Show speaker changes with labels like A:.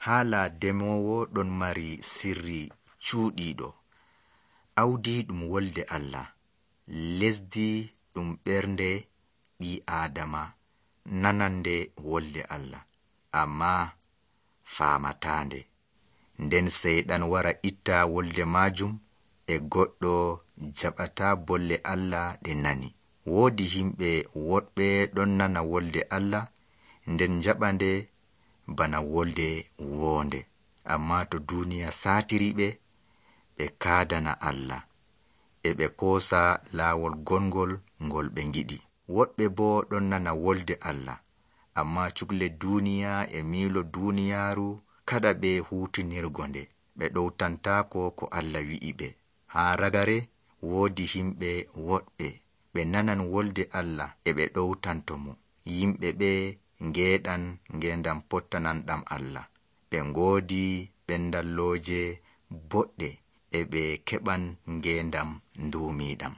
A: Haala demowo ɗon mari sirri cuuɗiiɗo. Awdi ɗum wolde Allah, lesdi ɗum ɓernde ɓii Aadama nanande wolde Allah, ammaa faamataande. Nden Seyɗan wara itta wolde maajum e goɗɗo jaɓataa bolle Allah ɗe nani. Woodi himɓe woɗɓe ɗon nana wolde Allah nden jaɓande bana wolde woonde, ammaa to duuniya saatiri ɓe kaadana Allah, e ɓe koosa laawol gongol ngol ɓe ngiɗi. Woɗɓe boo ɗon nana wolde Allah, ammaa cukle duuniya e miilo duuniyaaru kaɗa ɓe huutinirgo nde, ɓe ɗowtantaako ko Allah wi'i ɓe. Haa ragare woodi himɓe woɗɓe ɓe nanan wolde Allah e ɓe ɗowtanto mo. Yimɓe ɓe ngeeɗan ngeendam pottananɗam Allah. Ɓe ngoodi ɓendallooje boɗɗe e ɓe keɓan ngeendam nduumiiɗam.